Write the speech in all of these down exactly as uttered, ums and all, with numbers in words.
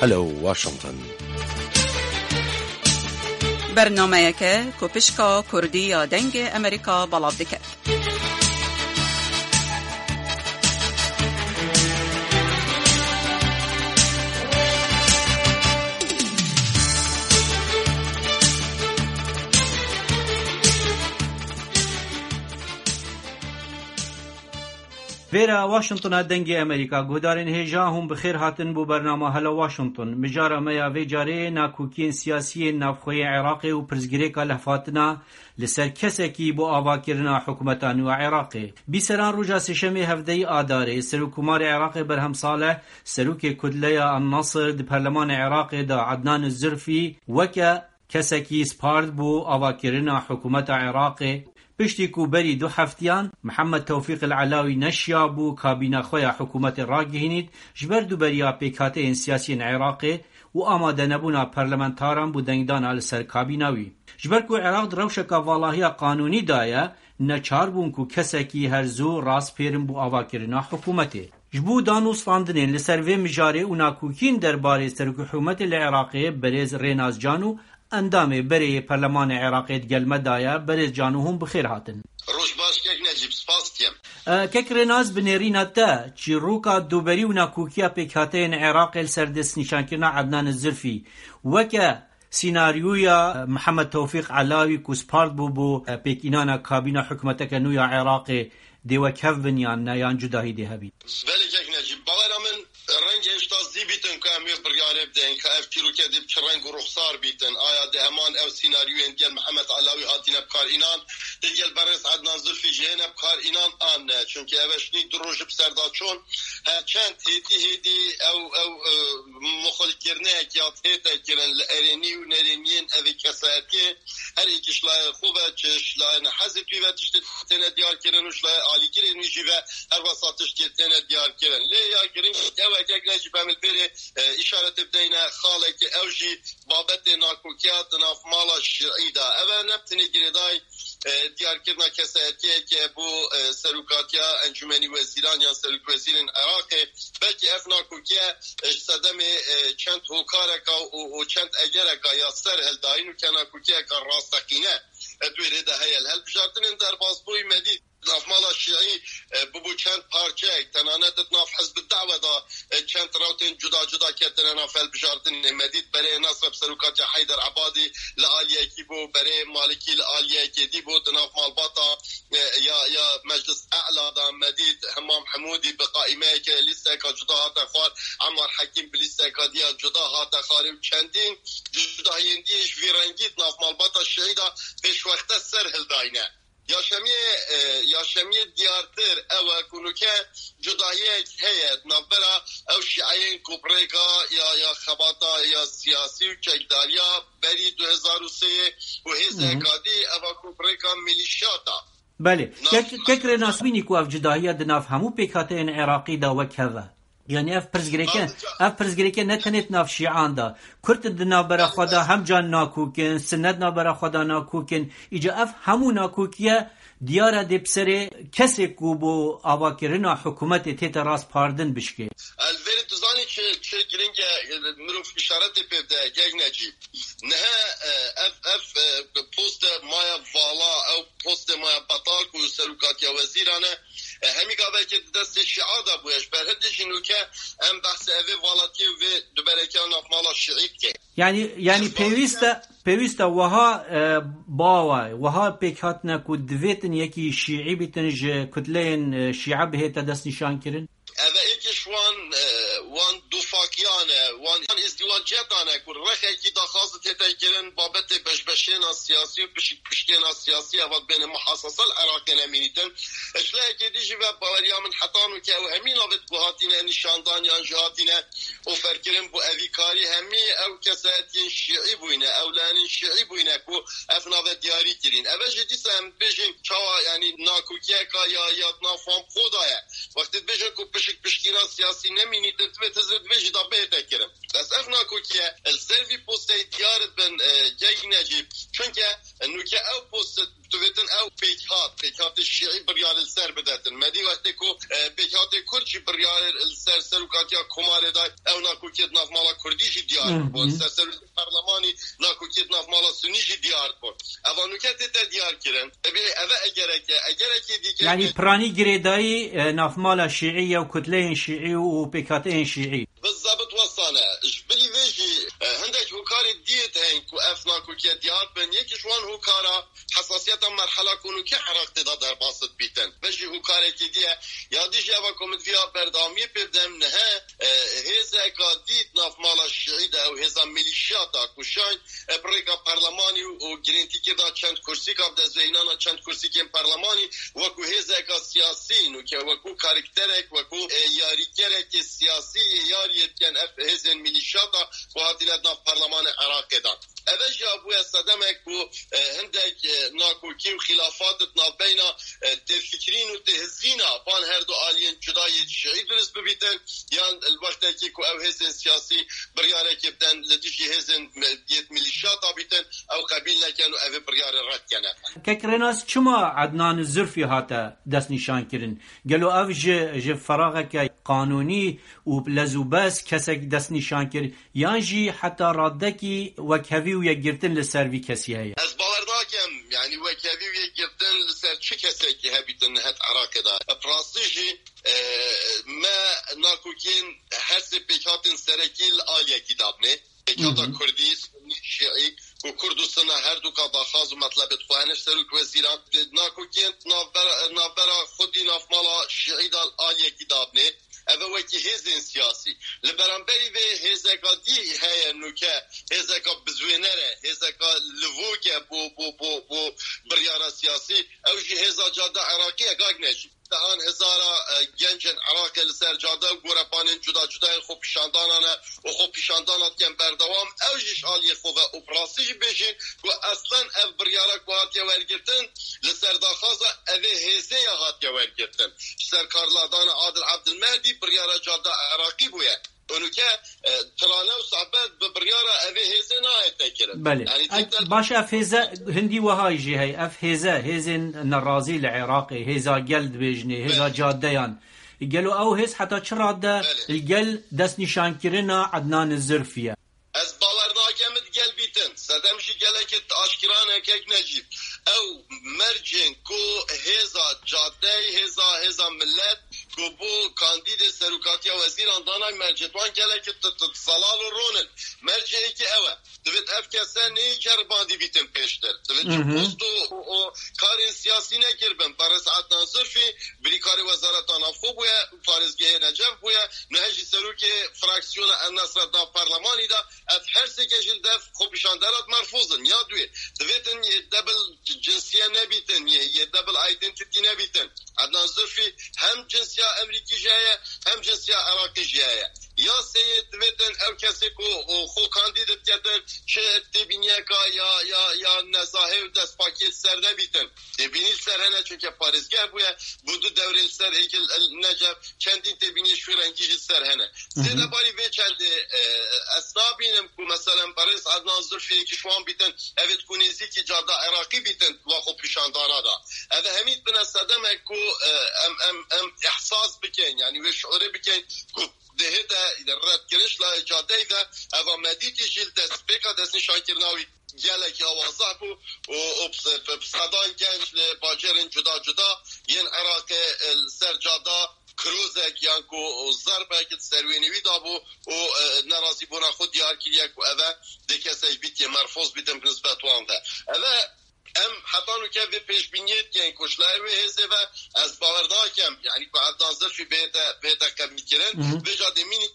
Hello Washington. Bernameyeke ku pişka Kurdî ya Dengê Amerîka belav dike. Vêra Washingtona Dengê Amerîka. Guhdarên hêja hûn bi xêr hatin bo bernama Hello Washington. Mijara me ya vê carê nakokiyên siyasî yên navxweyê Iraqê û pirsgirêka lehfatina li ser kesekî bo avakirina hikûmeta nû ya Iraqê. Bîseran roja sêşemê hevdeyî Adarê, Serokkomarê Iraqê Berhem Saleh, serokê kutleya An-Nasr di perlemanê Iraqê de Adnan Zurfî weke kesekî spard bû avakirina hikûmeta Iraqê. Piştî ku berî du heftiyan Mihemed Tewfîq El Elawî neşiyabû kabîna xwe ya hikûmetê ragihînît, ji ber duberiya pêkhateyên siyasî yên Iraqê û amadenebûna parlamentaran bo dengdana li ser kabîna wî. Ji ber ku Iraq di rewşeka valahiya qanûnî de ye, neçar bûn ku kesekî her zû raspêrin bo avakirina hikûmetê. Ji bo danûstandinên li ser vê mijarê û nakokiyên derbarê serokê hikûmetê li Iraqê, berêz Rênaz Can û endamê berê yê perlemanê Iraqê di gel me de ye. Berêz Can û hûn bi xêr hatin. Roj baş kek Necîb, spas dikim. E, kek Rênaz, bi nêrîna te, çîroka duberî û nakokiya pêkhateyên Iraqê li ser destnîşankirina Adnan Zurfî weke sînaryoya Mihemed Tewfîq Elawî ku spard bû bo, e, pêkînana kabîna hikûmeteke nû ya Iraqê, dê wek hev bin yan ne, yan cudahî dê hebît? Belê kek Necîb, bawera min rengê hişta zî bîtin ku em wê biryarê bidin, ka ev çîroke dê bi çi reng û ruxsar bîtin. Aya dê heman ew sînaryoyên digel Mihemed Elawî hatine bikar înan, digel berêz Ednan Zulfî jî hêne bikar înan an ne. Çunkî ev e şinî du roj bi ser de çûn. Her çend hêdî hêdî ew, ew, e, muxilkirineyek ya tête kirin li erênî û nerêniyên evê kesayetiyê. Her êkî ji layê xwe ve, çi ji layê nehezê wî ve tiştê têne diyar kirin û ji layê alîgirên wî jî ve her wesa tiştê têne diyar kirin. Lê ya girîng ew e, kek Necîb, em li vêrê, e, îşaretê bideyne xalekê, ew jî babetê nakokiya di nav mala şiî de. Ev e ne bi tenê girêdayî, e, diyarkirina kesayetiyeke bo, e, serokatiya Encûmenî Wezîran yan Serokê Wezîrên Iraqê, belkî ev nakokiye, e, ji sedemê, e, çend hokareka û, û çend egereka ya ser hildayîn û ke nakokiyeka rasteqîne, e, di wê rê de heye. Li hilbijartinên derbasbûyî me dît, navmala şiî, e, bûbû çend parçeyek, tenane di nav Hizb Da'we de, e, çend rewtên cuda cuda ketine nav hilbijartinê. Me dît berê Nasr bi serokatiya Heyder Ebadî li aliyekî bû, berê Malikî li aliyekê dî bû, di nav malbata, e, ya, ya Meclis E'la de me dît Hemam Hemûdî bi qaîmeyeke lîsteka cuda hate xwar, Emmar Hekîm bi lîsteka diya cuda hate xwarê û çendîn cudahiyên diyê ji vî rengî di nav malbata şiî de pêşwexte ser hildayne. Yaşemiyê, e, yaşemiyê diyartir ew e ku nûke cudahiyek heye di navbera ew şîeyên ku bi rêka ya, ya xebata ya siyasî û çekdariya berî du hezar û sê û Hı hı. hêzeka dî eva ku bi rêka milîşyata. Belê. Nav Kek, kek Rênas bînî ku ev cudahiya di nav hemû pêkhateyên Iraqî de wek hev e. Yanî ev pirsgirêke, Ayrıca ev pirsgirêke ne tenê di nav şîan de. Kurd di navbera xwe de hem can nakok in, sinet navbera xwe de nakok in. Îca ev hemû nakokiye diyar e dê bi serê kesê ku bo avakirina hikûmetê tête raspardin bişkê. El verê tu zanî çi, çi giring e, mirov îşaretê pê bide, kek Necîb. Niha, e, ev, ev, e, poste maya vala, ew postê maya betal ku serokatiya wezîran e, e, hemî gavekê di destê şîa de bûye. Ji ber hindê jî nûke em behsê evê valatiyê û vê duberekiya navmala şiî dikin. Yanî, yanî Ji pêwîst e, pêwîst e wiha, e, bawa, wiha pêk hatine ku divêtin yekî şiî bîtin ji kutleyên, e, şîa bihête destnîşankirin? Ev e êkê ji wan, e, wan dufakiyan e, wan, wan îzdîwaciyetan e ku rexekî daxwaz tête kirin, babetê beşbeşêna siyasî û pişik pişkêna siyasî eva dibêne muhasese li Iraqê nemînîtin. Ji lehekê dî jî ve baweriya min heta nûke ew hemî navêt ku hatine nîşandan yan jî hatine oferkirin bo evî karî, hemî ew kesayetiyên şîî bûyne, ew layenên şîî bûyne ku ev nave diyarî kirîn. Ev e jî dîsa em dibêjin çawa, yanî nakokiyeka ya, ya di nav wan bi xwe de ye. Wextê dibêjin ku pişik pişkîna siyasî nemînî, tu divê tu zê dibêjî da bête kirin. Bes ev nakokiye li ser vî posteyê diyar bin, e, Kek Necîb. Çunke, e, nûke ew post, tu vêtin ew pêkhat, pêkhatê şîî biryarê li ser bidetin. Me dî wextê ku, e, pêkhatê Kurd jî biryarê li ser serokatiya Komarê da, ew nakokiyê di nav mala Kurdî jî diyar Hı hı. bû. Li ser serokatiya parlemanî nakokiyê di nav mala Sunî jî diyar bû. Eva nûke tête diyar kirin. Ebe eve egereke, egerekê dî Yani piranî girêdayî, e, navmala şîî ye û kutleyên şîî û pêkhateyên şîî. Bi zebit wesane. Ji bilî vê jî, e, hindek hokarê diyêt heyîn ku ev nakokiye diyar bin. Yekî ji wan hokara hesasiyeta merhela ku nûke Iraqê de derbas dibîtin. Ve jî hokarekî diye, ya dî jî eva ku min diviya berdewamiyê pê bidem nihe, e, hêzeka dît navmala şîî de ew hêza milîşiyata ku şayn e, bi rêka parlemanî û, û girêntîkirina çend kursîka bi destveînana çend kursîkên parlemanî wekû hêzeka siyasî nûke, wekû karakterek, wekû, e, yarîkerekê siyasî yê yariyê dikin ev hêzên milîşiyata ku hatine di nav parlemanê Iraqê de. Eve jî bûye sedemek ku, e, hindek, e, nakokî û xîlafat di navbeyna, e, têfikirîn û têhizîna van her du aliyên cuda yê şîî durist bibîtin, yan li wextekî ku ew hêzên siyasî biryarekê biden li dijî hêzên me-, yêt milîşiyata bîtin, ew qebîl nekin û ev ê biryarê red kene. Kek Rênas, çima Ednan Zurfî hate destnîşankirin? Gelo ev ji, ji feraxeke qanûnî û lez û bez kesek destnîşan kir, yan jî heta radekî wekhevî û yekgirtin li ser vî kesî heye? Ez bawer nakim, yanî wekhevî û yekgirtin li ser çi kesekî hebîtin nihe di Iraqê de. Bi rastî jî, e, me nakokiyên her sê pêkhatên serekî li aliyekî dabnê. Pêkhata Hı hı. Kurdî, Sunî, Şîî, ku Kurd û Sunne her du ka daxwaz û metlebê dixwe hene ji serok wezîran. Nakokiyên navbera, navbera xwedî navmala Şîî de li aliyekî dabnê. Ev e wekî hêzên siyasî. Li beramberî vê hêzeka dî heye nûke, hêzeka bizwêner e, hêzeka livok e bo, bo, bo, bo biryara siyasî. Ew jî hêza Cadda Iraqî ye, Kak Necîb. Dehan hezara, e, gencên Iraqê li ser cade û gorepanên cuda cuda yên xwepîşandana ne û xwepîşandana dikin berdewam. Ew jî ji aliyê xwe ve û bi rastî jî bêjin ku eslen ev biryara ku hatiye wergirtin, li ser daxwaza evê hêzê ya hatiye wergirtin. Ji ser karladana Adil Abdilmehdi biryara Cadda Iraqî bûye. Û nûke, e, tirane û sohbet bi biryara evê hêzê nayête kirin. Belê. Yanî E, tekrar baş, ev hêze hindî wiha jî heye. Ev hêze, hêzên nerazî li Iraqê, hêza gel dibêjinê, hêza Belê. cadeyan. Gelo ew hêz heta çi rade Belê. li gel destnîşankirina Ednan Zurfî ye? Ez bawer nakim di gel bîtin. Sedem jî gelekî aşkira ne, Kek Necîb. Ew mercên ku hêza cadeyê, hêza, hêza millet ku bo kandîdê serokatiya wezîran danay, mercê wan gelekî t-, t-, zelal û ron in. Mercê yekî ew e. Divêt ev kese neyê ceribandî bîtin pêştir. Divêt ji Hı hı. post û, û, û karên siyasî nekiribin. Berêz Ednan Zurfî birîkarê Wezareta Navxwe bûye, parêzgehê Necef bûye, niha jî serokê fraksiyona El Nesra da parlemanî de. Ev her sêke jî li dev xwepîşandera di merfûz in. Ya duê, divêtin yê double cinsiye nebîtin, yê, yê double identity nebîtin. Ednan Zurfî hem cinsiya Emerîkî jî heye, hem cinsiya Iraqî jî heye. Ya sêyê divêtin ew kesê ku, o, xwe kandîd diketin, çi têbîniyeka ya, ya, ya nezahê û destpakiyê li ser nebîtin. Têbînî li ser hene, çunke parêzgeh bûye, bû du dewrê li ser êkil Necef, çendîn têbîniyê ji wî rengî jî li ser hene. Hı hı. Zêde barî vê çendê, e, ez nabînim ku, meselen, berêz Ednan Zurfî yekî ji wan bîtin, ev ê ku nêzîkî Cadda Iraqî bîtin, wa xwe pîşandana da. Ev e hemî bine sedemek ku, e, em, em, em ihsas bikin, yanî wê şiûrê bikin ku dihête redkirin ji layê cadeyê ve, eva me dîtî jî li destpêka destnîşankirina wî gelekî awazeh bû û, û bi se-, bi sedan genc li bajêrên cuda cuda yên Iraqê, e, li ser cada kirozek yan ku zerbek di ser wênê wî dabû û, e, nerazîbûna xwe diyar kiriye ku ev e dê kesek bît yê merfoz bîtin bi nisbet wan ve. Ev e Em heta nûke vê pêşbîniyê dikin ku ji layê wê hêzê ve ez bawer nakim, yanî ku Ednan Zirfî bête, bête qebîlkirin. Hı hı. Vêca dê mînî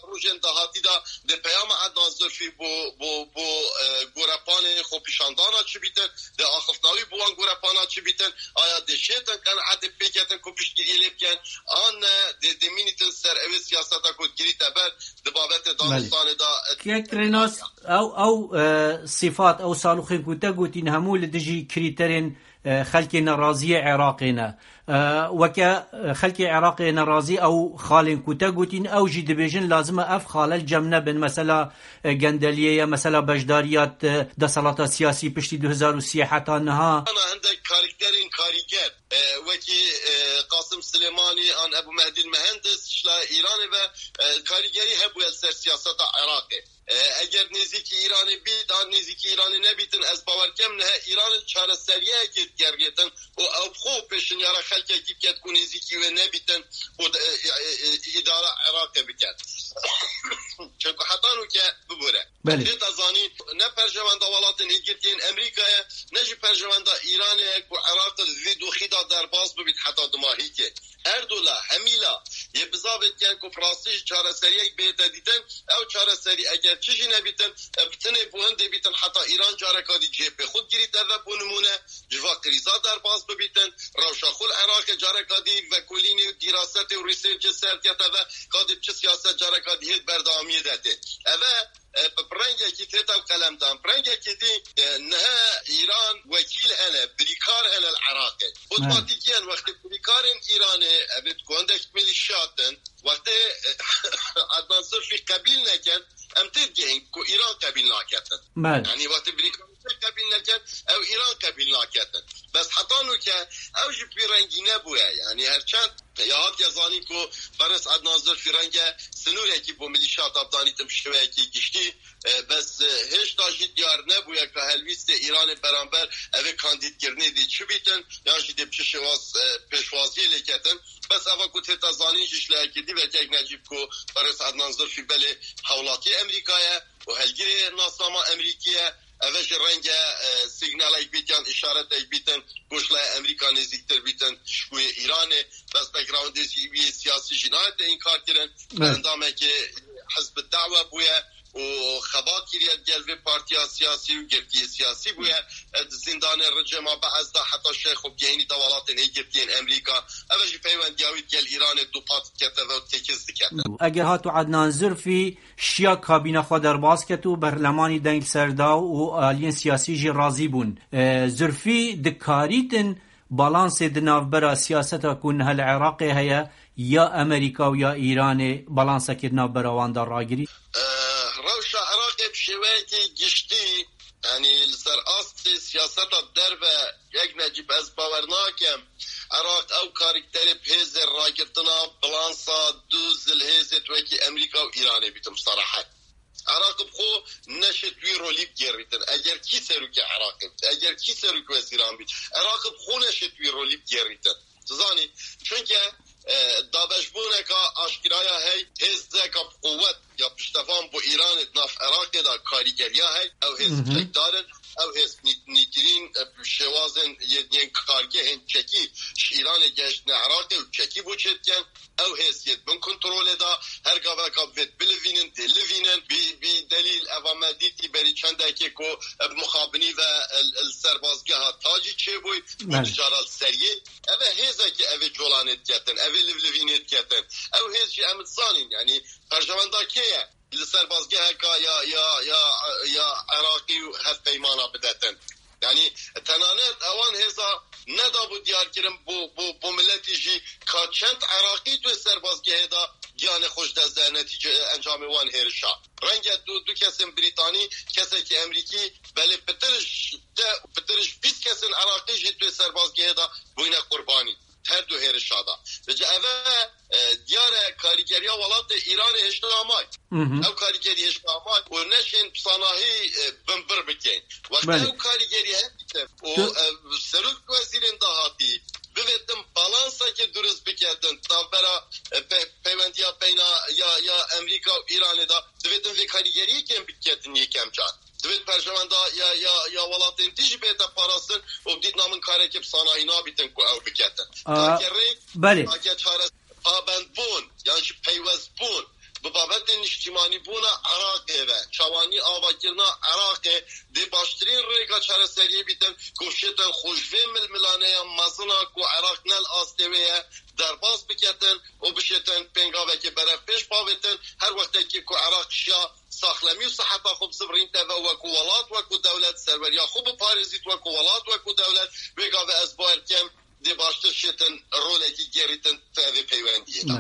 rojên dahatî de dê peyama Ednan Zirfî bo, bo, bo, e, gorepanê xwepîşandana çi bîtin, dê axiftina wî bo wan gorepana çi bîtin, aya dê şêtin qenaetê pêketin ku piştgiriyê lê bikin, an ne dê, dê mînîtin ser ew ê siyaseta ku digirîte ber di babetê Belê. Danistanê de, e, Kek Rênas, Ew, ew, e, sifat, ew saloxên ku te gotîn hemû li dijî krîterên, e, xelkê neraziyê Iraqê ne. E, weke, e, xelkê Iraqê nerazî ew xalên ku te gotîn, ew jî dibêjin lazim e ev xale li cem nebin. Mesela, e, gendeliyê ye, mesela beşdariya, e, desalata siyasî piştî du hezar û sî heta niha. Ana hindek karakterên karîger, e, wekî, e, Qasim Silêmanî an Ebu Mehdî Mehendis ji la Îranê ve, e, karîgerî hebûye li ser siyaseta Iraqê. E, eger nêzîkî Îranê bît, an nêzîkî Îranê nebîtin, ez bawer kem nihe Îran li çareseriyeyekê digeriyêtin û ew bi xwe pêşinyara xelkekî biket ku nêzîkî wê nebîtin û de, e, e, e, îdara Iraqê biket. Çunku heta nûke bibûre. Belê. Tê te zanîn, ne perjewenda welatên hêgirtiyên Emerîkayê, ne jî perjewenda Îranê ye ku Iraq li vî doxî de derbas bibît heta dumahîkê. Her du la, hemî la, yê bizavê dikin ku bi rastî ji çareseriyek bête dîtin, ew çareserî eger çi jî nebîtin, e, bi tinê bo hindê bîtin heta Îran careka dî cihê pê xwe digirîte ve, bo nimûne, ji va krîza derbas bibîtin, rewşa xwe li Iraqê careka dî vekolînê û dîrasetê û rîsêrcê ser dikete ve, ka dê bi çi siyaset careka dî hê di berdewamiyê de tê. Ev e, e, bi, bi rengekî tête û qelemdan. Bi rengekî dî, e, niha Îran wekîl hene, birîkar hene li Iraqê. Otomatîkiyen wextê birîkarên Îranê, ev ê di gondek milîşiyat in, wextê, e, Adnan Zirfî qebîl nekin, em têdigihîn ku Îran qebîl naketin. Belê. Yanî wextê birîkarên te qebîl nekin, ew Îran qebîl naketin. Bes heta nûke ew jî bi vî rengî nebûye. Yanî her çend ya hatiye zanîn ku Berêz Ednan Zirfî renge sinûrekî bo milîşiyata bidanîtin bi şêweyekî giştî, e, bes, e, hêşta jî diyar nebûye ka helwîstê Îranê beramber evê kandîdkirinê dê çi bîtin, yan jî dê bi çi şêwaz, e, pêşwaziyê lê ketin. Bes eva ku tête zanîn jî ji lehekî dî vekek Necîb ku Berêz Ednan Zirfî belê hewlatiyê Emerîka ye û helgirê nasnama Emerîkî ye. Eve jî renge, e, signalek bît yan îşaretek bîtin ku ji laya Emerîka nêzîktir bîtin ji bo yê Îranê. Bes backgroundê jî wî yê siyasî jî nayête înkar kirin. Evet. Endamekê Hizb Da'we bûye û xeba kiriye digel vê partiya siyasî û girtiyê siyasî bûye. E, di zîndanê rejîma Be'es de heta şex û gehînî de welatên hêgirtiyên Emerîka. Eve jî peywendiya wî digel Îranê dupat dikete ve û têkiz dikete. Eger hatu Adnan Zirfî şiya kabîna xwe derbas ket û berlemanî deng li ser da û aliyên siyasî jî razî bûn. E, Zirfî dikarîtin balansê di navbera siyaseta ku niha li Iraqê heye, ya Amerîka û ya Îranê, balansekê di navbera wan de ragirî? E, rewşa Iraqê bi şêweyekî giştî, yanî li ser astê siyaseta derve, yek Necîb, ez bawer nakim Iraq ew karakterê bi hêzê ragirtina balansa du zilhêzê wekî Amerîka û Îranê bîtin bi serehet. Iraq bi xwe neşêt wî rolî bigêrîtin. Eger kî serokê Iraqê bît, eger kî serokê wezîran bît, Iraq bi xwe neşêt wî rolî bigêrîtin. Tu zanî, çunke, e, dabeşbûneka aşkiraya hey, hêzeka bi quwet ya piştevan bo Îranê di nav Iraqê de karîgeriya hey, ew hêz Hı hı. çekdar in, ew hêz nî-, nîtirîn, e, şêwazên yên, yên kargehên çekî ji Îranê geştine Iraqê û çekî bo çêdikin. Ew hêz yê di bin kontrolê de, her gaveka divêt bilivînin, dê livînin. Bi, bi delîl eva me dîtî berî çendekê ku bi mixabinî ve li, li serbazgeha Tacî çêbûy û Belê. Dijara li seriyê. Ev e hêzekê ev ê colanê diketin, ev ê livlivînê diketin. Ew hêz jî em dizanîn, yanî perjewenda kê ye? Li serbazgeheka ya, ya, ya, ya Iraqî û hevpeymana bidetin. Yanî tenanet ewan hêza nedabû diyarkirin bo, bo, bo miletî jî ka çend Iraqî tu serbazgehê de giyanê xwe ji dest de netîce encamê wan hêrişa. Renge du, du kesên Brîtanî, kesekî Emerîkî, belê pitir ji de, pitir ji bîst kesên Iraqî jî tu serbazgehê de bûyne qurbanî. Her du hêrişa de. Vêce eve, e, diyar e karîgeriya welatê Îranê hêşta amay. Hı hı. Ew karîgerî hêşta amay û neşên bi sanahî, e, binbir bikeyn. Wexta Belê. Ew karîgerî hevdîtin û, Tu- e, serok wezîrên dahatî bivêtin balansekê durist biketin, navbera, e, pe-, peywendiya beyna ya, ya Emerîka û Îranê de, divêtin vê karîgeriyê kêm biketin yekem car. Divêt perjewenda ya, ya, ya welatên dî jî bête parastin û dîtina min karekê bi sanahî nabîtin ku ew biketin. A, Take rê, belê. Take çare pabendbûn yan jî peywestbûn bi babetên niştîmanîbûna Iraqê ve, çawanî avakirina Iraqê dê baştirîn rêka çareseriyê bîtin ku bişêtin xwe ji vê milmilaneya mezina ku Iraq ne li astê wê ye derbas biketin û bişêtin pêngavekê berevpêş bavêtin. Her wextekî ku Iraq şiya saxlemî û siheta xwe bizivirînte ve wekû welat, wekû dewlet serweriya xwe biparêzît, wekû welat, wekû dewlet, wê gavê ez bawer dikim dê baştir şêtin rolekî gerîtin di vê peywendiyê de.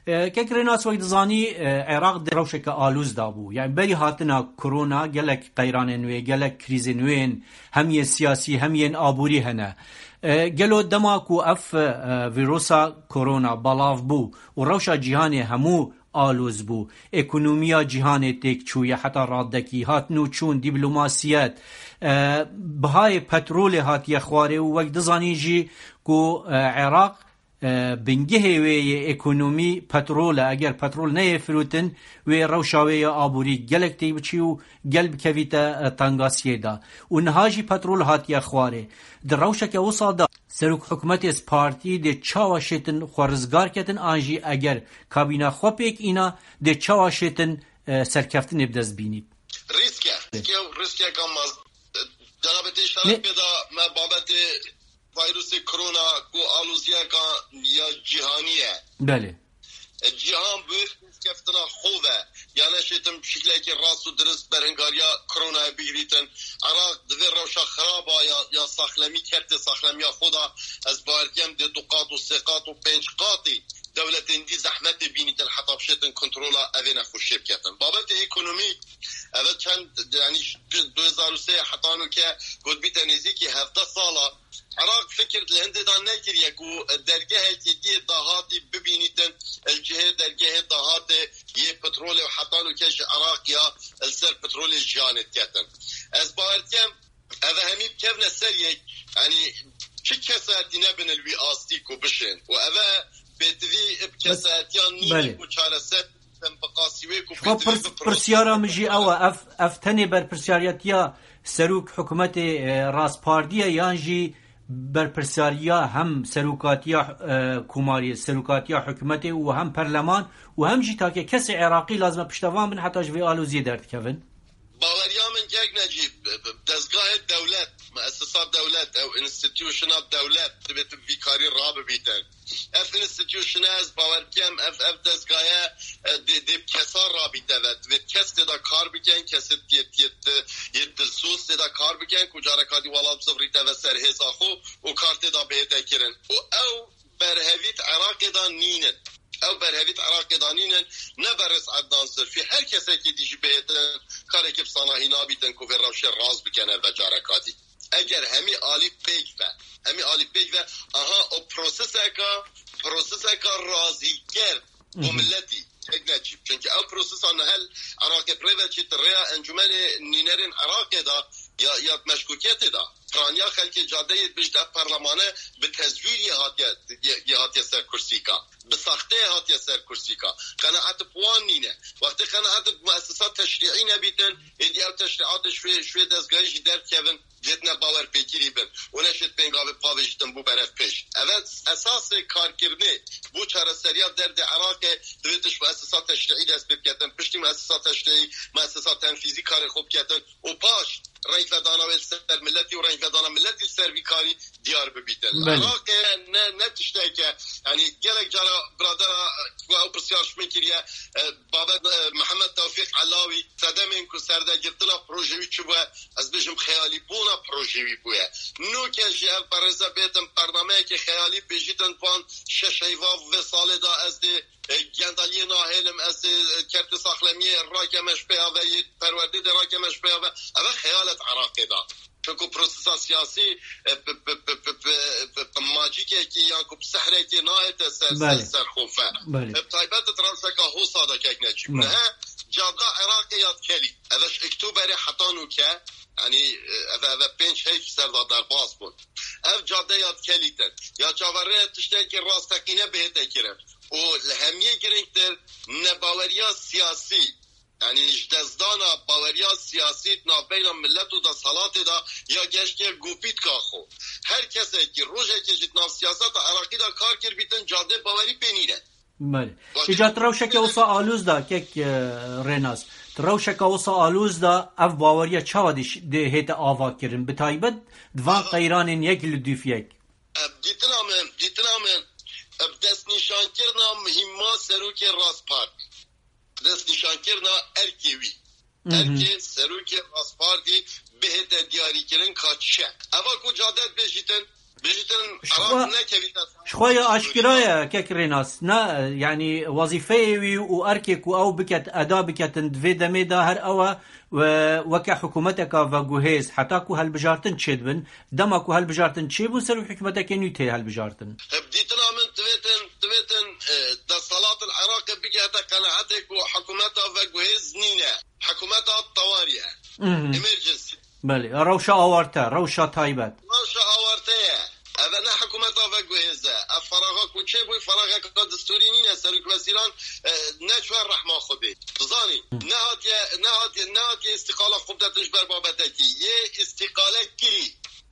Belê. E, Kek Rênas, wek dizanî, e, Iraq di rewşeke alûz de bû. Yani berî hatina korona gelek qeyranên wê, gelek krîzên wê yên hem yên siyasî hem yên aborî hene. E, gelo dema ku ev, e, vîrusa korona belav bû û rewşa cîhanê hemû alûz bû, ekonomiya cîhanê têk çûye heta radekî, hatin û çûn, dîplomasiyet, e, bihayê petrolê hatiye xwarê û wek dizanîn jî ku, e, Iraq, e, bingehê wê yê ekonomî petrol e. Eger petrol neyê firotin, wê rewşa wê ya aborî gelek têk biçî û gel bikevîte, e, tengasiyê de. Û niha jî petrol hatiye xwarê. Di rewşeke wisa de serok hikûmetê partî dê çawa şêtin xwe rizgar ketin, an jî eger kabîna xwe pêk îna, dê çawa şêtin, e, serkeftinê bi dest bînît? Rîsk e. Rîsk e û rîskeka mezin. Cenabê te Ne- îşaret pê da me babetê vîrusê korona ku aloziyeka ya cîhanî ye. Belê. E, cîhan bi wê rêzkeftina xwe ve, ya neşêtin bi şiklekî rast û dirist berhingariya koronayê bigirîtin. Iraq di vê rewşa xiraba ya, ya saxlemî, kertê saxlemiya xwe de, ez bawer dikim dê du qat û sê qat û pênc qatî dewletên dî zehmetê bînîtin heta bişêtin kontrola evê nexweşiyê biketin. Babetê ekonomîk, eve çend, yanî, du hezar û sê heta nûke got bîte nêzîkî hevdeh sala, Iraq fikir li hindê de nekiriye ku dergehekî diyê dahatî bibînîtin, li cihê dergehê dahatê yê petrolê û heta nûke ji Iraq ya li ser petrolê jiyanê diketin. Ez bawer dikim, eve hemî bikevne ser yek, yanî çi kesayetî nebin li wî astî ku bişên. Û eve pêtivî bi Bes, kesayetiyan nîne belê. Ku çareser bikin, bi qasî wê ku Ji xwe pêtivî pirs-, bi pirsiyara min jî ew e, ev, ev tenê berpirsiyariyetiya serok hikûmetê, e, rastpartî ye yan jî berpirsiyariya hem serokatiya, e, komarî, serokatiya hikûmetê û hem perleman û hem jî take kesê Iraqî lazim e piştevan bin heta ji vê aloziyê derdikevin? Baweriya min kek Necîb, dezgahê dewlet, muessesa dewlet, ew institutiona dewlet divê tu vî karî rabibîtin. Ev institutiona ez bawer dikim, ev, ev dezgaye, e, dê, dê bi kesa rabîte ve. Divê kes tê de kar bikin, kesê yê, yê, yê dilsoz tê de kar bikin, ku careka dî welat bizivirîte ve ser hêza xwe û kar tê de bihête kirin. Û ew berhevî di Iraqê de nînin. Ew berhevî di Iraqê de nînin, ne berêz Ednan Zilfî, her kesekî dî jî bihêtin, karekî bi sanahî nabîtin ku vê rewşê rast bikene ve careka dî. Eger hemî alî pêk ve, hemî alî pêk ve, aha o proseseka, proseseka razîker bo Hı hı. Milletî, tek ne çî. Çünkü ew prosesa nihel Iraqê bi rê ve çî di rêya Encûmenê Nînerên Iraqê de ya, ya meşkûkiyetê de. Piraniya xelkê cadeyê dibêjit ev perlemane bi tezwîriyê hatiye, yê, yê hatiye ser kursîka. Bi saxteyê hatiye ser kursîka. Qenaet bi wan nîne. Wextê qenaet bi muessesa teşrîî nebîtin, êdî ew teşrîatê ji wê, ji wê dezgahê jî derdikevin, dêtine bawerpêkirî bin û neşêt pêngavê pavêjîtin bû berev pêş. Eve esasê karkirinê bo çareseriya derdê Iraqê divê tu ji muessesa teşrîî dest pê biketin, piştî muessesa teşrîî, muessesa tenfîzî karê xwe biketin û paş rengvedana wê li ser milletî û rengvedana milletî li ser vî karî diyar bibîtin. Belê. Iraqê ne, ne tişteke, yanî gelek cara biradera ku ew pirsiyar ji min kiriye, e, babet, e, Mihemed Tewfîq Elawî, sedemên ku serdegirtina projeyî çi bûye, ez bêjim xeyalîbûna projeyî bûye. Nûke jî ev berêze bêtin bernameyekê xeyalî bêjîtin van şeş heyva vê salê de ez dê e, gendeliyê nahêlim, ez ê, e, kertê saxlemiyê rakeme ji pêya ve, yê perwerdê dê rakeme ji pêya ve. Eve xeyalet Iraqê da. Çunku prosesa siyasî, e, bi, bi, bi, bi, bi, bi, bi macîkekî yan ku bi sehrekê nahête ser, ser, Belê. Ser xofe. Belê. E, bi taybet di rewşeka hosa de kek neçî. Belê. Nihe cada Iraqê ya dikelî. Eve ji Oktoberê heta nûke, yanî, e, eve, eve pênc heyf ser de derbas bûn. Ev cadeya dikelîtin. Ya çaverê tiştekî rasteqîne bihête kirin. Û li hemiyê girîngtir, nebaweriya siyasî, yanî ji destdana baweriya siyasî di navbeyna milet û desthilatê de ya geştiye gopîtka xwe. Her kesekî rojekê jî di nav siyaseta Iraqî de kar kir bîtin, cadê bawerî pê nîne. Belê. Wextê Îca tu rewşeke wisa alûz da, kek, e, Rênas. Tu rewşeke wisa alûz da, ev baweriya çawa dî-, dê hête ava kirin? Bi taybet di van Aha. Qeyranên yek li dûf yek. Em, dîtina min, dîtina min, em, destnîşankirina muhîma serokê Raspar. Destnîşankirina erkê wî. Mhm. Erkê serokê Raspar dî bihête diyarîkirin ka çi ye. Eva ku cadet bêjîtin, Bêjîtin Ji Iraq xwe- nekevîte. Ji xwe ya aşkira ye, kek Rênas. Na, yanî wezîfeyê wî û erkê ku ew biket, eda biketin di vê demê de her ew e we weke hikûmeteka veguhêz, heta ku helbijartin çêdibin, dema ku helbijartin çêbûn, ser wî hikûmetekê nû tê helbijartin. Bi dîtina min divêtin, divêtin, e, desthilat li Iraqê bigihete qenaetê ku hikûmeta veguhêz nîne. Hikûmeta tewarî ye. Mhm. Emergency. Belê, rewşa awarte, rewşa taybet. Rewşa awarte ye. Ev ne hikûmeta veguhêz e. Ev feraxa ku çêbû, feraxeke destûrî nîne. Serokweziran, e, neçûye rehma Xwedê. Bizanî, Hı. nehatiye, nehatiye, nehatiye îstîqala xwe bidetin ji ber babetekî. Yê îstîqale kirî.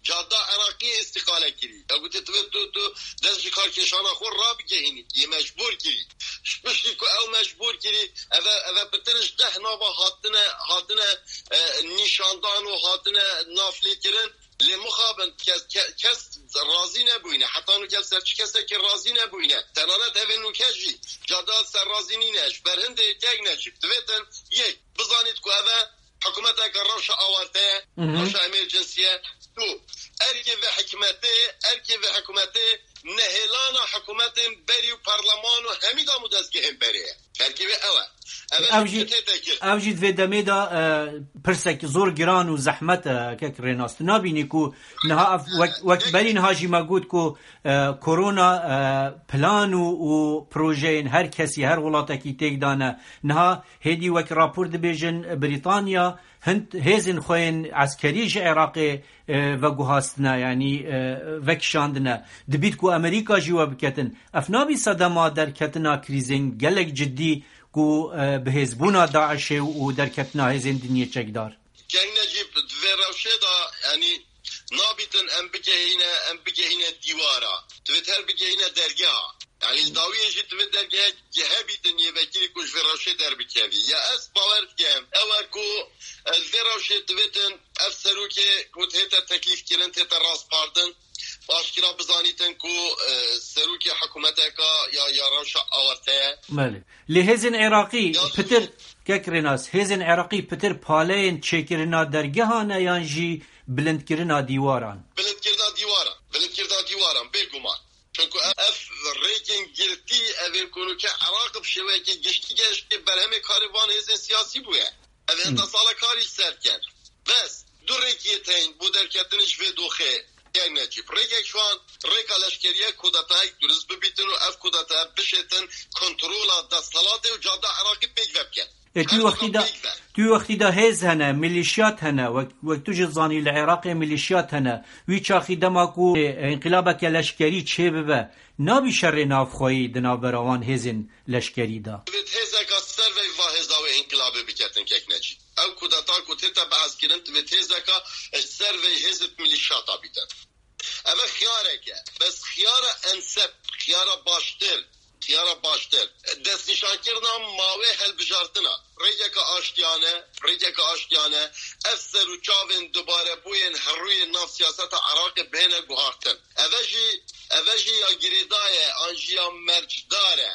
Cada Iraqî îstîqale kirî. Ya gotê, tu, tu, tu dest ji karkêşana xwe rabigehînî. Yê mecbûr kirî. Ji piştî ku ew mecbûr kirî, eve, eve pitir ji deh nava hatine, hatine, e, nîşandan û hatine naflêkirin. Lê mixabin, kes, ke-, kes razî nebûyne. Heta nû kes ser çi kesekî razî nebûyne. Tenanet evê nûke jî cada ser razî nîne. Ji ber hindê yek Necîb. Divêtin yek. Bizanît ku eve hikûmeteke rewşa awarte ye, Mhm. rewşa emergency ye. Du, erkê vê hikûmetê, erkê vê hikûmetê nehêlana hikûmetên berî û parleman û hemî dam û dezgehên berê ye. Erkê vê ew e. Ev e Ev jî jî, tê tekir. ev jî di vê demê de, e, pirsek zor giran û zehmet e, kek Rênas. Tu nabînî ku niha ev wek, wek berî niha jî me got ku, e, korona, e, plan û, û projeyên her kesî, her welatekî têk dane. Niha hêdî wek rapor dibêjin, Brîtanya hin hêzên xwe yên eskerî ji Iraqê, e, veguhastine, yanî, e, vekişandine. Dibît ku Amerîka jî we biketin. Ev nabî sedema derketina krîzên gelek cidî ku, e, bi hêzbûna DAIŞê û derketina hêzên dinyê çekdar? Keng Necîb, di vê rewşê de, yanî, nabîtin em bigehîne, em bigehîne dîwara. Divêt her bigehîne dergeha. Yanî li dawiyê jî divê dergehek hebîtin yê vekirî ku ji vê rewşê derbikevî. Ya ez bawer dikim, ew e ku, e, li vê rewşê divêtin ev serokê ku tête teklîfkirin, tête raspardin, aşkira bizanîtin ku, e, serokê hikûmeteka ya, ya rewşa awarte ye. Belê. Lê hêzên Iraqî Ya pitir, kek Rênas, hêzên Iraqî pitir paleyên çêkirina dergehan e yan jî bilindkirina dîwaran? Bilindkirina dîwaran. Bilindkirina dîwaran, bêguman. Çunku ev, ev rêkên girtî, ev ên ku nûke Iraq bi şêweyekî giştî gehiştiye berhemê karê van hêzên siyasî bûye. Ev henda Hmm. sala karî ji ser dikin. Bes, du rêkî yê teyn bo derketin ji vê doxê, Keng Necîb. Rêkek ji wan, rêka leşkerî ye, kudetayek durist bibîtin û ev kudeta bişêtin kontrola desthilatê û cada Iraqî pêk vebikin. E, tu Her wextî zaman da, pêk ve. tu wextî da hêz hene, milîşyat hene, wek, wek tu jî zanî li Iraqê milîşyat hene. Wî çaxî dema ku, e, înqilabeke leşkerî çêbibe, nabî şerê navxweyî di navbera wan hêzên leşkerî de? Divêt hêzeka servey va hêza wê înqilabê biketin, kek Necîb. Ew kudeta ku tête behskirin, divêt hêzeka ji servey hêzê milîşyata bîtin. Ev e xiyarek e. Bes xiyara enseb, xiyara baştir, xiyara baştir. Destnîşankirina mawê helbijartina. Rêkeke aştiyane, rêkeke aştiyane, ev ser û çavên dubarebûyên herûyên nav siyaseta Iraqê bihêne guhartin. Ev e jî, ev e jî ya girêdayî ye, an jî ya mercdar e.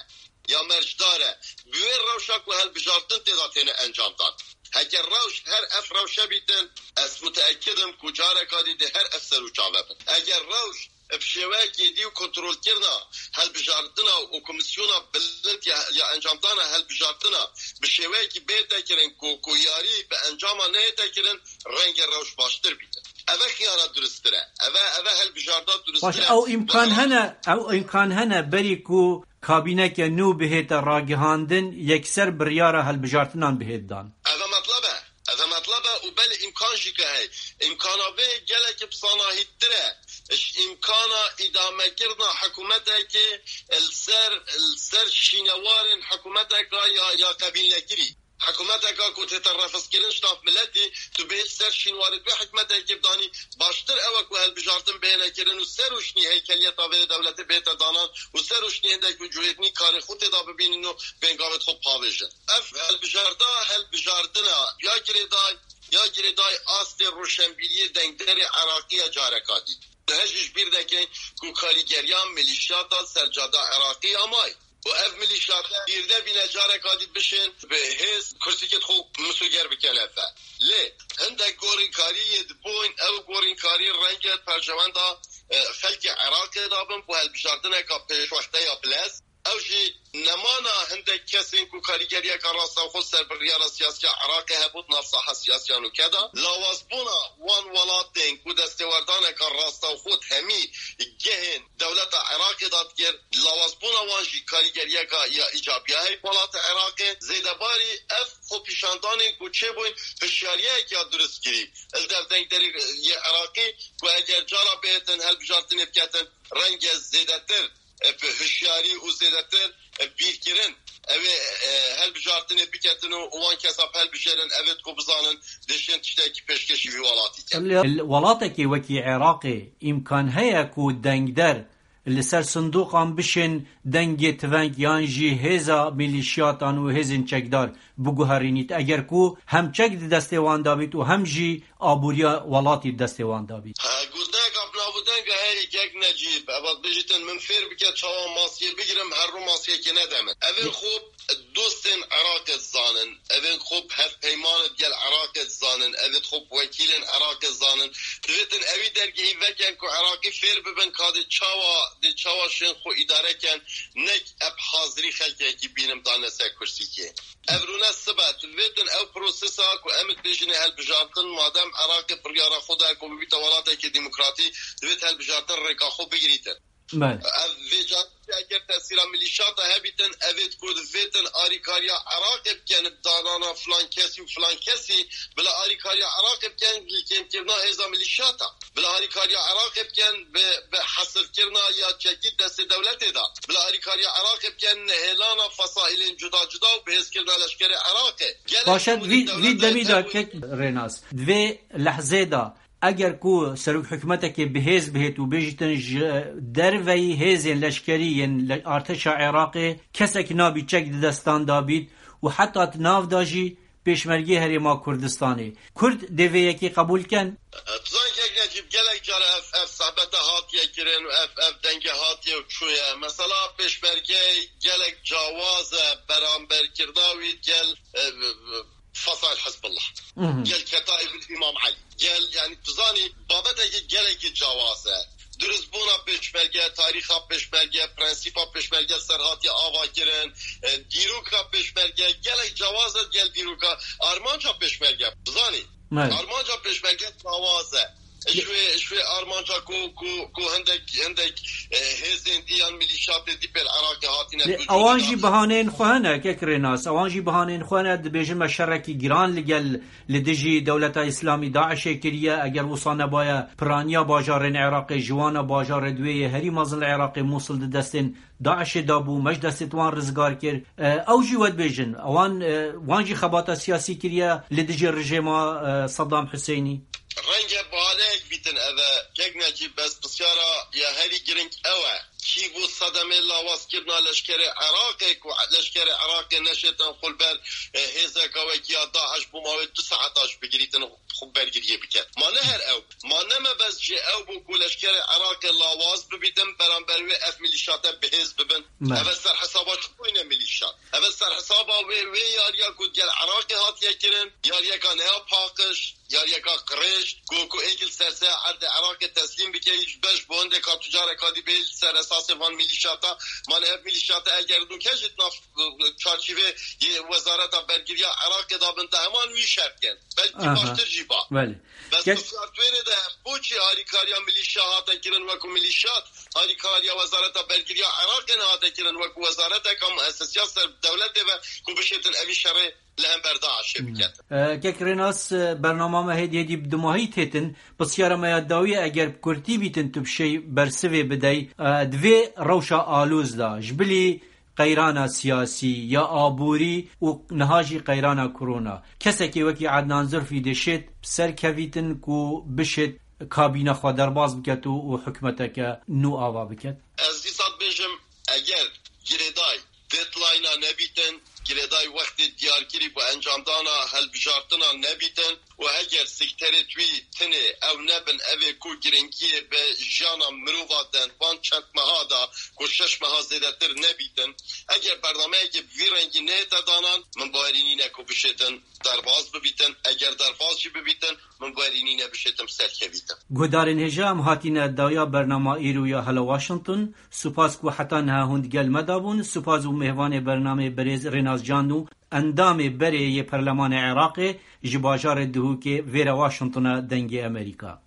Ya mercdar e. Bi wê rewşa ku helbijartin tê de têne encamdan. Heke rewş her ev rewşe bîtin, ez muteekid im ku careka dî dê her ev ser û çav hebin. Eger rewş bi şêweyekê dî û kontrolkirina helbijartina û komîsyona bilind ya, ya encamdana helbijartina bi şêweyekî bête kirin ku, ku yarî bi encama neyête kirin, renge rewş baştir bîtin. Ev e xiyara durustir e. Ev e, ev e helbijarda durustir Baş, e. ew îmkan Wexta hene, ew îmkan hene berî ku kabîneke nû bihête ragihandin, yekser biryara helbijartinan bihêt dan. Ev e metleb e. Ev e metleb e û belê îmkan jî ke hey. Îmkana vê gelekî bi sanahîtir e. Ji îmkana îdamekirina hikûmetekê li ser, li ser şînewarên hikûmeteka ya, ya qebîlnekirî. Hikûmeteka ku tête refizkirin ji nav miletî, tu bê ser şînwarê wê hikûmetekê bidanî, baştir ew e ku hilbijartin bihêne kirin û ser û şinî heykeliyeta vê dewletê bihête danan û ser û şinî hindek wicûhêtinî karê xwe tê de bibînin û bên gavê xwe bixavêjin. Ev hilbijarda, hilbijardina ya girêday, ya girêday astê roşenbîriyê dengderê Iraqî ye careka dî. Hej jî ji bîr nekin ku karîgeriya milîşyata sercada Iraqî ya may. û ev milîşyate bîrde bîne careka dî bişên bi hêz kursîkêt xwe misûger bikin ev. Lê hindek gorînkarî yê dibûn, ew gorînkarî renge perçewenda, e, xelkê Iraqê dabin bo helbijartineka pêşwexte ya bilez. Ew jî nemana hindek kesên ku karîgeriyeka rastewxo ser biryara siyasiya Iraqê hebû di nav saha siyasiya nûke de. Lawazbûna wan welatên ku destêwerdaneka rastewxo di hemî gehên dewleta Iraqê de dikir, lawazbûna wan jî karîgeriyeka ya îcabiya heyî welatê Iraqê. Zêdebarî ev xwepîşandanên ku çêbûn hişyariyek ya durustkirî li dev dengderê yê Iraqê ku eger cara bihêtin helbijartinê biketin, renge zêdetir, e, bi hişyarî û zêdetir, e, bîrkirin, ew ê, e, helbijartinê biketin û wan kesa bi helbijêrin, ev ê ku bizanin dişên tiştekî pêşkêşî vî welatî kin. Li welatekê wekî Iraqê îmkan heye ku dengder li ser sindoqan bişên dengê tiveng yan jî hêza milîşiyatan û hêzên çekdar biguherînît, eger ku hem çek di destê wan de bît û hem jî aboriya welatî di destê wan de bît. Ha, gundeka bi nav û denga heyî kek Necîb, ev bêjîtin min fêr bike çawa masiyê bigirim, her rû masiyekê nede min. Ev ê xwe dostên Iraqê dizanin, ev ê xwe hevpeymanê gel Iraqê dizanin, ev ê xwe wekîlên Iraqê dizanin. Divêtin ewî dergehî veken ku Iraqî fêr bibin ka dê çawa, dê çawa şên xwe îdare ken, nek eb hazirî xelkekî bînim dane ser kursîkê. Ev rûne sibe, tu divêtin ew prosesa ku em dibêjinê helbijartin, madem Iraqê biryara xwe da ku bibîte welatekî demokratî, divêt helbijartin rêka xwe bigirîtin. Belê. Ev vê carî eger tesîra milîşata hebîtin, ev ê ku divêtin arîkariya Iraqê bikin bi danana filan kesî û filan kesî, bila arîkariya Iraqê bikin bi kêmkirina hêza milîşata. Bila arîkariya Iraqê bikin bi, bi hesirkirina ya çekî destê dewletê de. Bila arîkariya Iraqê bikin nehêlana fesaîlên cuda cuda û bihêzkirina leşkerê Iraqê. Gelek Baş e, şûnê vî, vî dewleta demî de hebû- kek Rênas. Di vê lehzê de eger ku serok hikûmetekê bi hêz bihêt û bêjîtin ji derveyî hêzên leşkerî yên le-, artêşa Iraqê kesek nabî çek di destan de bît û heta di nav de jî pêşmergê Herêma Kurdistanê. Kurd dê vê yekê qebûl ken? Bizan kek Necîb, gelek cara ev, ev sehbete hatiye kirin û ev, ev denge hatiye û çûye. Mesela pêşmerge gelek cawaz e, beramberkirina wî gel, e, Fesaîl Hizbullah. Mhm. Gel Ketaîb Îmam Elî. Gel, yani, tu zanî, babeteke gelekî cawaz e. Durustbûna pêşmerge, tarîxa pêşmerge, prensîpa pêşmerge ser hatiye ava kirin, e, dîroka pêşmerge, gelek cawaz e, gel dîroka armanca pêşmerge. Bizanî, Evet. armanca pêşmerge cawaz e. Ji wê, ji wê armanca ku, ku, ku hindek, hindek, e, hêzên dî yan milîşatê dî pêl Iraqê hatine Lê dû ewan jî bihaneyên xwe hene, kek Rênas. Ewan jî bihaneyên xwe hene, dibêjin me şerekî giran li gel, li dijî dewleta Îslamî DAIŞê kiriye. Eger wisa nebaye, piraniya bajarên Iraqê, ji wan e bajarê di wê yê herî mezin li Iraqê, Mûsil di destên DAIŞê de bû, me ji destê wan rizgar kir. E, ew jî we dibêjin. Ewan, e, wan jî xebata siyasî kiriye li dijî rejêma, e, Saddam Husênî. Renge bahaneyek bîtin ev e. Kek Necîb, bes pisyara ya herî giring ew e. Kî bû sedemê lawazkirina leşkerê Iraqê ku leşkerê Iraqê neşêtin xwe li ber, e, hêzeka wekî ya DAIŞ bû mawê du saeta ji bigirîtin xwe bergiriyê biket. Ma ne her ew. Ma ne mebest jê ew bû ku leşkerê Iraqê lawaz bibîtin, beramber wê ev milîşate bi hêz bibin. Me. Ev e ser hesaba çi bûyne milîşat? Ev e ser hesaba wê, wê yariya ku gel Iraqê hatiye kirin, yariyeka neya paqij, yariyeka qirêj, ku, ku êk li ser se erdê Iraqê teslîm bike, ji beş bo hindeka tu careka dî bê li ser esasê van milîşata, mane ev milîşata eger nûke jî di nav, e, çarçîvê yê Wezareta Bergiriya Iraqê de bin, te heman wî şer bikin. Belkî Aha. baştir jî ba. Belê. Bes Kes- pisyar tu wêrê de, boçî harîkariya milîşa hate kirin wekû milîşat, harîkariya Wezareta Bergiriya Iraqê nehate kirin wekû wezareteka muessesiya ser dewletê ve ku bişêtin evî şerê li hember DAIŞê Hmm. biket. E, Kek Rênas, e, bernama me hêdî hêdî bi dumahî têtin. Pisyara me ya dawî, eger bi kurtî bîtin tu bi şey bersivê bidey, e, di vê rewşa aloz de ji bilî qeyrana siyasî ya aborî û niha jî qeyrana korona, kesekê wekî Ednan Zurfî dê şêt bi ser kevîtin ku bişêt kabîna xwe derbas biket û, û hikûmeteke nû ava biket? Ez dîsa dibêjim, eger girêday deadline-a nebîtin, girêday wextê diyarkirî bo encamdana helbijartina nebîtin û heger sekterê twî tinê ew nebin, evê ku giringiyê bi jiyana mirova den, van çend meha de ku şeş meha zêdetir nebîtin. Eger bernameyekê bi vî rengî nehête danan, min bawerî nîne ku bişêtin derbas bibîtin. Eger derbas jî bibîtin, min bawerî nîne bişêtin serkevîtin. Guhdarên hêja, em hatîne daya bernama îro ya Hello Washington. Supas ku heta niha hûn digel me de bûn. Supas û mêvanê bernamê berêz Rênas Can û endamê berê yê Perlemanê Iraqê ji bajarê Duhokê vêre Washingtona Dengê Amerîka.